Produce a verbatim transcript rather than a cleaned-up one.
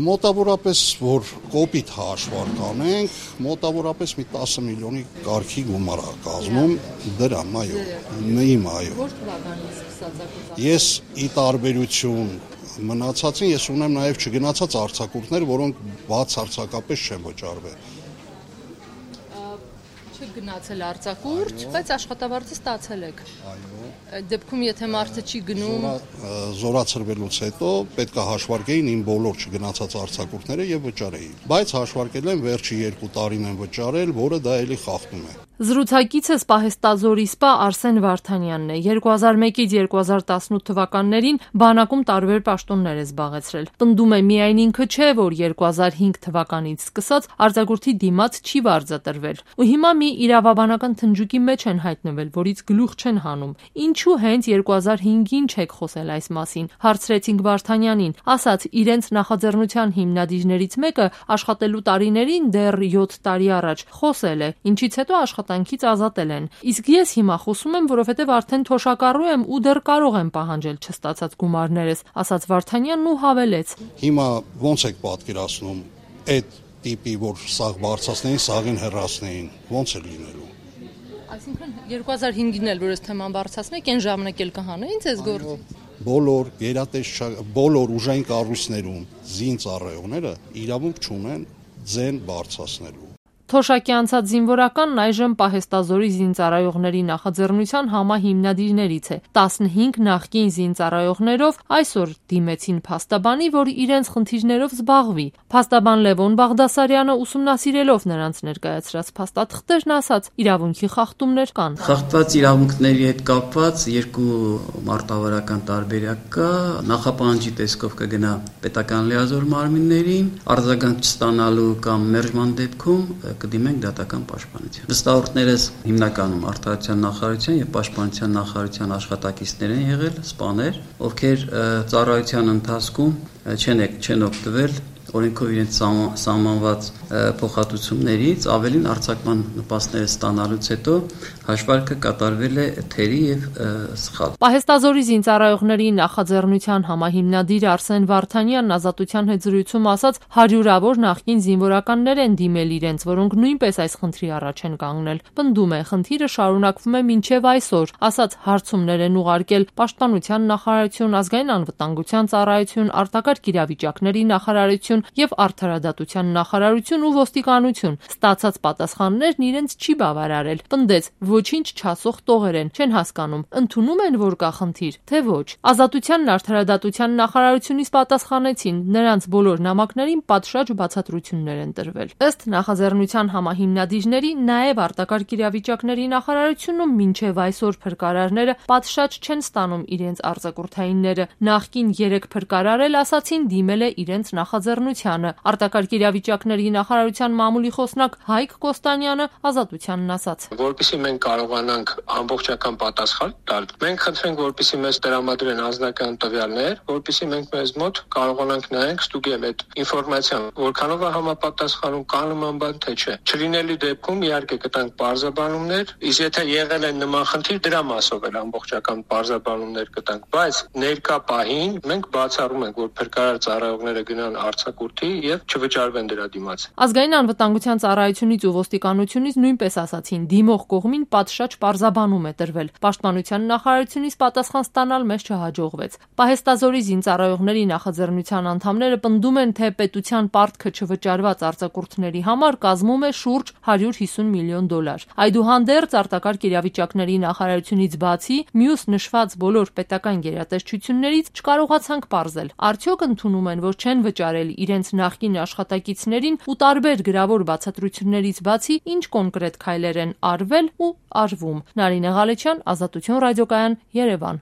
Մոտավորապես, որ կոպիտ հաշվար կանենք, մոտավորապես մի տասը միլիոնի կարգի գումար է կազմում դրամ, այո, իմ այո։ Որ թվականից սկսած ակտիվ։ Ես ի տարբերություն մնացածին ես ունեմ նաև չգնացած արձակուրդներ, որոնք բացարձակապես չեն վճարվել։ Գնացել արձակուրդ, բայց աշխատավարձը ստացել եք։ Այո։ Այդ դեպքում եթե մարդը չի գնում, զորացրվելուց հետո պետք է հաշվարկեին իմ բոլոր չգնացած արձակուրդները եւ վճարեին։ Բայց հաշվարկել են վերջի երկու տարին են վճարել, որը դա էլի խախտում է։ Զրուցակիցս Պահեստազորի սպա Արսեն Վարդանյանն է։ երկու հազար մեկից երկու հազար տասնութ թվականներին բանակում տարբեր պաշտոններ է զբաղեցրել։ Պնդում է միայն ինքը չէ, որ երկու հազար հինգ թվականից սկսած արձակուրդի դիմաց չի վարձատրվել։ Ու հիմա մի իրավաբանական թնջուկի մեջ են հայտնվել, որից գլուխ չեն հանում։ Ինչու հենց երկու հազար հինգին չեք խոսել այս մասին։ Հարցրեցինք Վարդանյանին, ասաց իրենց նախաձեռնության հիմնադիրներից մեկը աշխատելու տարիներին դեռ յոթ տարի առաջ խոսել է, ինչից հետո աշխատանքից ազատել են։ Իսկ ես հիմա խոսում եմ, որովհետև արդեն թոշակառու եմ ու դեռ կարող եմ պահանջել չստացած գումարներս, ասաց Վարդանյանն ու հավելեց. Հիմա ոնց եք պատկերացնում այդ տիպի, որ սաղ բարձրացնեին, սաղին հեռացնեին, ոնց է լինելու։ Այսինքն երկու հազար հինգին էլ որ այս թեման բարձրացնեք, այն ժամանակ էլ կհանեին ձեզ գործի։ Բոլոր գերատեսչական, բոլոր ուժային կառույցներում զինծառայողները իրավունք չունեն ձեն բարձրացնելու։ Թոշակի անցած զինվորականն այժմ Պահեստազորի զինծառայողների նախաձեռնության համահիմնադիրներից է։ տասնհինգ նախկին զինծառայողներով այսօր դիմեցին փաստաբանի, որ իրենց խնդիրներով զբաղվի։ Փաստաբան Լևոն Բաղդասարյանը ուսումնասիրելով նրանց ներկայացրած փաստաթղթերն ասաց, իրավունքի խախտումներ կան։ Խախտված իրավունքների հետ կապված երկու մարտավարական տարբերակ կա։ Նախապահանջի տեսքով կգնա պետական լիազոր մարմիններին, արձագանք չստանալու կամ մերժման դեպքում կդիմենք դատական պաշտպանության։ Վստահորդներս հիմնականում արտադրության նախարարության եւ պաշտպանության նախարարության աշխատակիցներ են եղել, սպաներ, ովքեր ծառայության ընթացքում չեն չեն օգտվել օրենքով իրենց սահմանված փոխհատուցումներից, ավելին արձակման նպաստները ստանալուց հետո հաշվարկը կատարվել է թերի եւ սխալ։ Պահեստազորի զինծառայողների նախաձեռնության համահիմնադիր Արսեն Վարդանյանն Ազատության հետ զրույցում ասաց, հարյուրավոր նախկին զինվորականներ են դիմել իրենց, որոնք նույնպես այս խնդրի առաջ են կանգնել։ Պնդում է, խնդիրը շարունակվում է մինչև այսօր, ասաց հարցումներ են ուղարկել Պաշտպանության նախարարություն, ազգային անվտանգության ծառայություն, արտակարգ իրավիճակների նախարարություն եւ արդարադատության նախարարություն ու ոստիկանություն։ Ստացած պատասխաններն իրենց չի բավարարել։ Պնդեց, ոչինչ չասող տողեր են, չեն հասկանում, ընդունում են, որ կա խնդիր, թե ոչ։ Ազատությանն արդարադատության նախարարությունից պատասխանեցին, նրանց բոլոր նամակներին պատշաճ բացատրություններ են տրվել։ Ըստ նախաձեռնության համահիմնադիրների, նաեւ արտակարգ իրավիճակների նախարարությունում մինչեւ այսօր փրկարարները պատշաճ չեն ստանում իրենց արձակուրդայինները։ Նախկին երեք փրկարար էլ ասացին դիմել է իրենց նախաձեռնությանը։ Արտակարգ իրավիճակների նախարարության մամուլի խոսնակ Հայկ Կոստանյանը Ազատությանն ասաց. Որպեսզի մենք կարողանանք ամբողջական պատասխան տալ, մենք խնդրենք, որպեսզի մեզ տրամադրեն անձնական տվյալներ, որպեսզի մենք մեզ մոտ կարողանանք նայենք ստուգել այդ ինֆորմացիան, որքանով է համապատասխանում, կա նման բան թե չէ։ Չլինելի դեպքում իհարկե կտանք բարձաբանումներ, իսկ եթե եղել են նման խնդիր, դրա մասով էլ ամբողջական բարձաբանումներ կտանք, բայց ներկա պահին մենք բացառում ենք, որ փրկարար ծառայողները գնան արձակուրդի եւ չվճարվեն դրա դիմաց։ Ազգային անվտանգության ծառայությունից ու ոստիկանությունից նույնպես ասացին, դիմող կողմին պատշաճ պարզաբանում է տրվել։ Պաշտպանության նախարարությունից պատասխան ստանալ մեզ չհաջողվեց։ Պահեստազորի զինծառայողների նախաձեռնության անդամները պնդում են, թե պետության պարտքը չվճարված արձակուրդների համար կազմում է շուրջ հարյուր հիսուն միլիոն դոլար։ Այդուհանդերձ արտակարգ իրավիճակների նախարարությունից բացի մյուս նշված բոլոր պետական գերատեսչություններից չկարողացանք պարզել, արդյոք ընդունում են, որ չեն վճարել իրենց նախկին աշխատակիցներին ու տարբեր գրավոր բացատրություններից բացի ինչ կոնկրետ քայլեր են արվել ու արվում։ Նարինե Ղալեչյան, Ազատություն ռադիոկայան, Երևան։